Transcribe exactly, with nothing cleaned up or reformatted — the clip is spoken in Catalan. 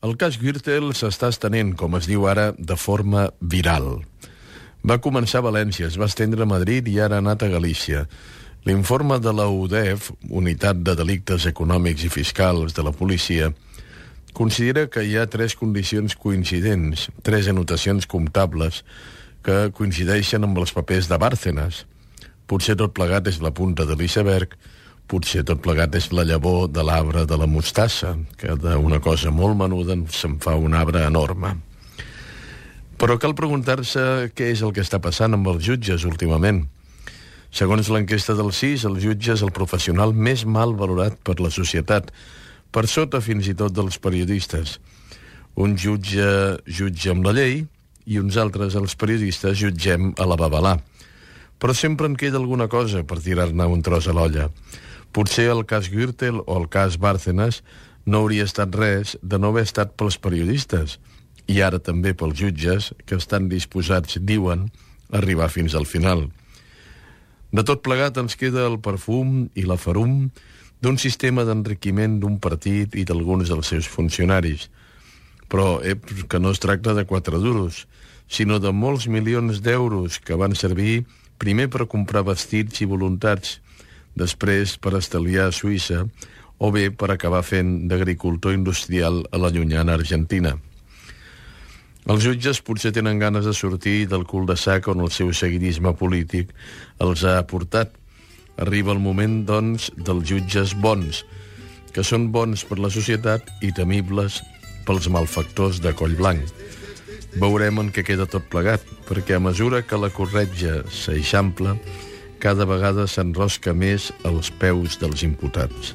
El cas Gürtel s'està estenent, com es diu ara, de forma viral. Va començar a València, es va estendre a Madrid i ara ha anat a Galícia. L'informe de la U D E F, Unitat de Delictes Econòmics i Fiscals de la policia, considera que hi ha tres condicions coincidents, tres anotacions comptables que coincideixen amb els papers de Bárcenas. Potser tot plegat és la punta de l'iceberg, potser tot plegat és la llavor de l'arbre de la mostassa, que d'una cosa molt menuda se'n fa un arbre enorme. Però cal preguntar-se què és el que està passant amb els jutges últimament. Segons l'enquesta del C I S, el jutge és el professional més mal valorat per la societat, per sota fins i tot dels periodistes. Un jutge jutja amb la llei i uns altres, els periodistes, jutgem a la babalà. Però sempre en queda alguna cosa per tirar-ne un tros a l'olla. Potser el cas Gürtel o el cas Bárcenas no hauria estat res de no haver estat pels periodistes i ara també pels jutges que estan disposats, diuen, a arribar fins al final. De tot plegat ens queda el perfum i la ferum d'un sistema d'enriquiment d'un partit i d'alguns dels seus funcionaris. Però eh, que no es tracta de quatre duros, sinó de molts milions d'euros que van servir primer per comprar vestits i voluntats, després per estalviar a Suïssa o bé per acabar fent d'agricultor industrial a la llunyana Argentina. Els jutges potser tenen ganes de sortir del cul-de-sac on el seu seguidisme polític els ha portat. Arriba el moment, doncs, dels jutges bons, que són bons per la societat i temibles pels malfactors de coll blanc. Veurem en què queda tot plegat, perquè a mesura que la corretja s'eixampla, cada vegada s'enrosca més als peus dels imputats.